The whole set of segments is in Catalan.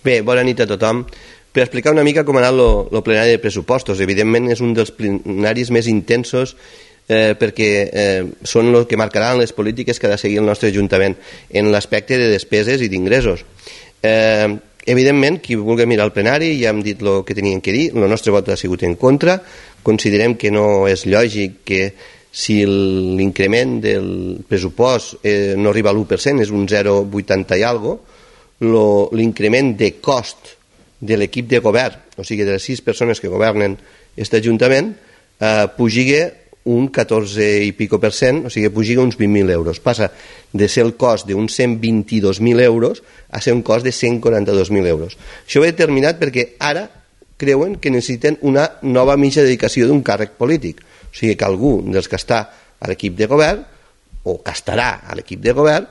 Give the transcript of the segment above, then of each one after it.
Bé, bona nit a tothom. Per explicar una mica com ha anat el plenari de pressupostos. Evidentment és un dels plenaris més intensos perquè són els que marcaran les polítiques que ha de seguir el nostre Ajuntament en l'aspecte de despeses i d'ingressos. Evidentment, qui vulgui mirar el plenari ja hem dit el que tenien que dir. El nostre vot ha sigut en contra. Considerem que no és lògic que si l'increment del pressupost no arriba a l'1%, és un 0,80 i alguna cosa, l'increment de cost de l'equip de govern, o sigui de les 6 persones que governen aquest Ajuntament, pugiga un 14 i pico per cent, o sigui pugiga uns 20.000 euros. Passa de ser el cost d'uns 122.000 euros a ser un cost de 142.000 euros. Això ho he determinat perquè ara creuen que necessiten una nova mitja dedicació d'un càrrec polític. O sigui que algú dels que està a l'equip de govern, o que estarà a l'equip de govern,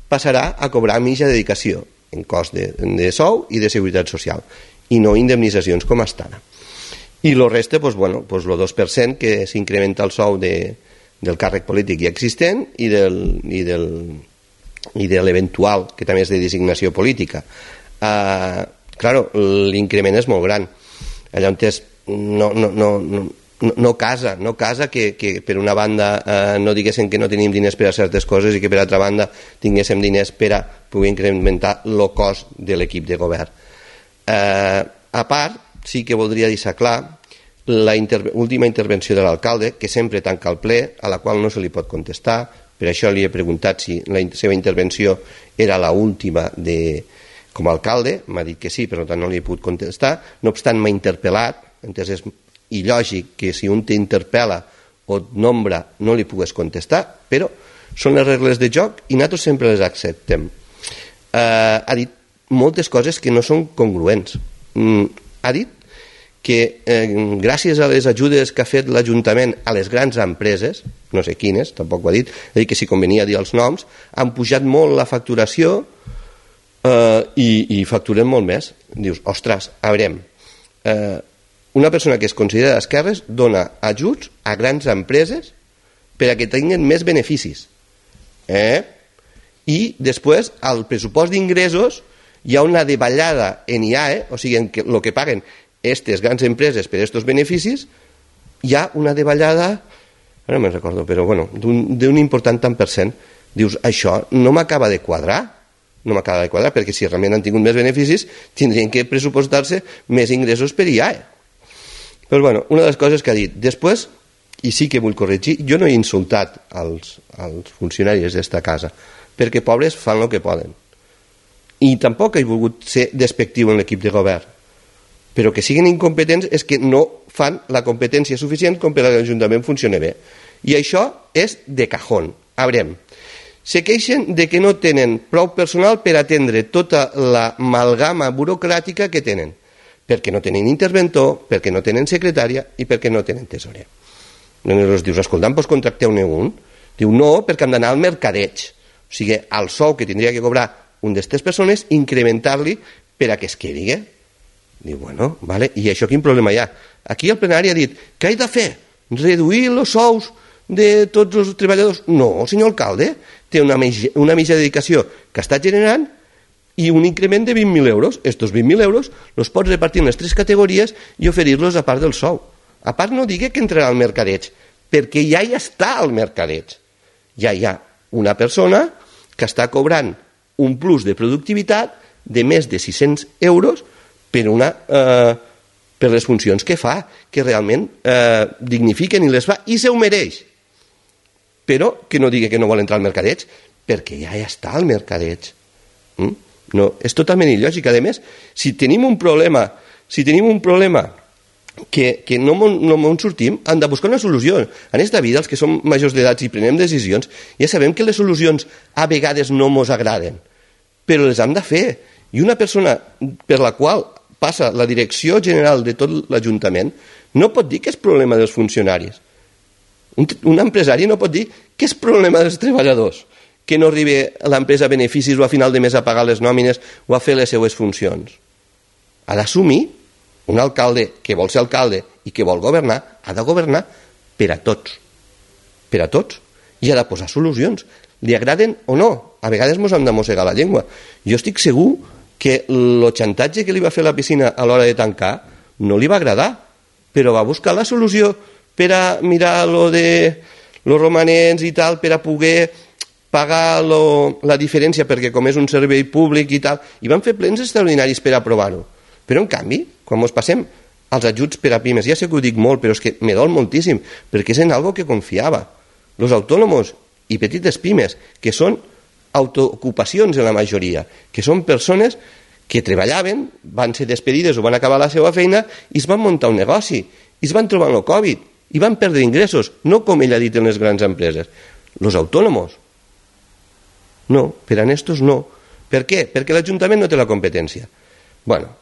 passarà a cobrar mitja dedicació en cost de sou i de seguretat social, i no indemnitzacions com estan. I el reste, el 2% que s'incrementa el sou del càrrec polític ja existent i de l'eventual, que també és de designació política. Claro, l'increment és molt gran. Allà on no casa que per una banda no diguéssim que no tenim diners per a certes coses i que per altra banda tinguéssim diners per a poder incrementar el cost de l'equip de govern. A part, sí que voldria deixar clar l'última intervenció de l'alcalde, que sempre tanca el ple, a la qual no se li pot contestar. Per això li he preguntat si la seva intervenció era l'última com a alcalde. M'ha dit que sí, per tant no li he pogut contestar. No obstant, m'ha interpel·lat. Entonces és il·lògic que si un t'interpel·la o et nombra no li pugues contestar, però són les regles de joc i nosaltres sempre les acceptem. Ha dit moltes coses que no són congruents. Ha dit que gràcies a les ajudes que ha fet l'Ajuntament a les grans empreses, no sé quines, tampoc ho ha dit, ha dit que si convenia dir els noms, han pujat molt la facturació i facturen molt més. Dius, ostres, a veure, una persona que es considera d'esquerres dona ajuts a grans empreses per a que tinguin més beneficis. I després, al pressupost d'ingressos, hi ha una davallada en IAE, o sigui, el que paguen aquestes grans empreses per aquests beneficis, hi ha una davallada, no me'n recordo, però bueno, d'un important tant per cent. Dius, això no m'acaba de quadrar, perquè si realment han tingut més beneficis, tindrien que pressupostar-se més ingressos per IAE. Però bueno, una de les coses que ha dit. Després, i sí que vull corregir, jo no he insultat als funcionaris d'esta casa, perquè pobres fan el que poden. I tampoc he volgut ser despectiu en l'equip de govern. Però que siguin incompetents és que no fan la competència suficient com per a l'Ajuntament funcioni bé. I això és de cajón. A veure, se queixen de que no tenen prou personal per atendre tota l'amalgama burocràtica que tenen, perquè no tenen interventor, perquè no tenen secretària i perquè no tenen tesorer. Llavors dius, escolta, doncs contracteu-ne un. Diu, no, perquè hem d'anar al mercadeig. O sigui, al sou que tindria que cobrar un d'aquestes persones, incrementar-li per a que es quedi. Diu, bueno, vale, i això quin problema hi ha? Aquí el plenari ha dit, què he de fer? Reduir els sous de tots els treballadors? No, senyor alcalde, té una mitja dedicació que està generant i un increment de 20.000 euros. Estos 20.000 euros els pots repartir en les 3 categories i oferir-los a part del sou. A part no digui que entrarà al mercadeig, perquè ja hi està al mercadeig. Ja hi ha una persona que està cobrant un plus de productivitat de més de 600 euros per les funcions que fa, que realment dignifiquen i les fa, i se ho mereix. Però que no digui que no vol entrar al mercadeig, perquè ja està al mercadeig. No, és totalment il·lògic. A més, si tenim un problema que no en sortim, hem de buscar una solució. En aquesta vida, els que som majors d'edat i prenem decisions, ja sabem que les solucions a vegades no ens agraden, però les hem de fer. I una persona per la qual passa la direcció general de tot l'Ajuntament no pot dir que és problema dels funcionaris. Un empresari no pot dir que és problema dels treballadors, que no arribi a l'empresa a beneficis o a final de mes a pagar les nòmines o a fer les seues funcions. Ha d'assumir un alcalde que vol ser alcalde i que vol governar, ha de governar per a tots. Per a tots. I ha de posar solucions. Li agraden o no. A vegades ens hem de mossegar la llengua. Jo estic segur que el xantatge que li va fer la piscina a l'hora de tancar no li va agradar, però va buscar la solució per a mirar lo de los romanents i tal, per a poder pagar la diferència, perquè com és un servei públic i tal, i van fer plens extraordinaris per aprovar-ho. Però en canvi, quan ens passem als ajuts per a pimes, ja sé que ho dic molt, però és que me dol moltíssim, perquè és en algo que confiava. Els autònoms i petites pimes, que són autoocupacions en la majoria, que són persones que treballaven, van ser despedides o van acabar la seva feina i es van muntar un negoci, i es van trobar amb el Covid, i van perdre ingressos, no com ell ha dit en les grans empreses. Els autònoms, no, per a estos no. Per què? Perquè l'Ajuntament no té la competència. Bueno,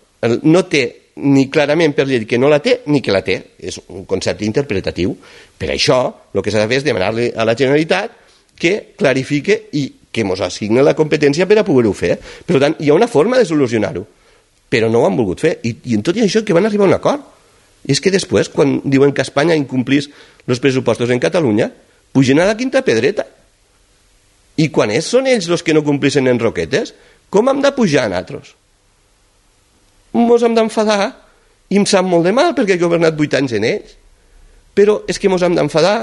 no té ni clarament per llei que no la té ni que la té, és un concepte interpretatiu. Per això el que s'ha de fer és demanar-li a la Generalitat que clarifique i que ens assigni la competència per a poder-ho fer. Per tant, hi ha una forma de solucionar-ho, però no ho han volgut fer, i en tot i això que van arribar a un acord. I és que després, quan diuen que Espanya incomplís els pressupostos en Catalunya, pugen a la quinta pedreta. I quan són ells els que no complixen en roquetes, com hem de pujar nosaltres? Ens hem d'enfadar, i em sap molt de mal perquè he governat 8 anys en ells. Però és que ens hem d'enfadar.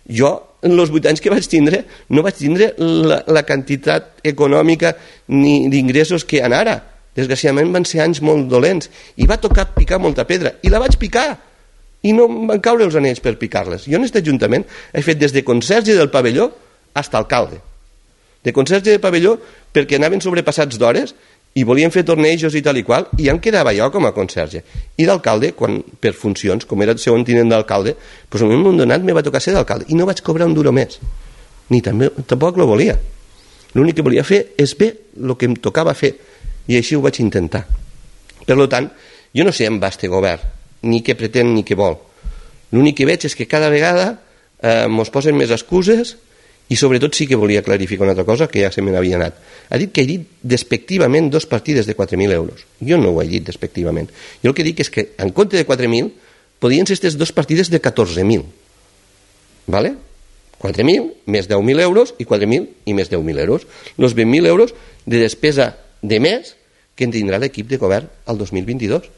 Jo, en els 8 anys que vaig tindre, no vaig tindre la quantitat econòmica ni d'ingressos que han ara. Desgraciadament van ser anys molt dolents i va tocar picar molta pedra, i la vaig picar, i no em van caure els anells per picar-les. Jo en aquest ajuntament he fet des de conserge del pavelló fins a alcalde. De conserge del pavelló perquè anaven sobrepassats d'hores i volien fer tornejos i tal i qual, i em quedava jo com a conserge. I d'alcalde, quan per funcions, com era el segon tinent d'alcalde, doncs en un moment donat me va tocar ser d'alcalde, i no vaig cobrar un duro més. Tampoc lo volia. L'únic que volia fer és fer el que em tocava fer, i així ho vaig intentar. Per tant, jo no sé en va este govern, ni què pretén ni què vol. L'únic que veig és que cada vegada ens posen més excuses, i sobretot sí que volia clarificar una altra cosa que ja se me n'havia anat. Ha dit que he dit despectivament 2 partides de 4.000 euros. Jo no ho he dit despectivament. Jo el que dic és que en compte de 4.000 podien ser aquestes 2 partides de 14.000. ¿Vale? 4.000 més 10.000 euros i 4.000 i més 10.000 euros. Els 20.000 euros de despesa de mes que en tindrà l'equip de govern al 2022.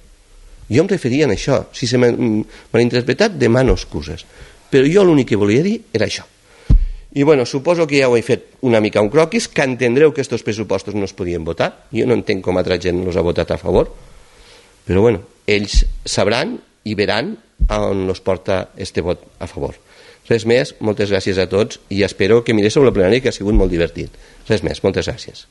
Jo em referia a això. Si se m'ha interpretat, demano excuses. Però jo l'únic que volia dir era això. I bueno, suposo que ja ho he fet una mica un croquis, que entendreu que aquests pressupostos no es podien votar. Jo no entenc com altra gent els ha votat a favor, però bueno, ells sabran i veran on els porta este vot a favor. Res més, moltes gràcies a tots, i espero que mireu la plenària, que ha sigut molt divertit. Res més, moltes gràcies.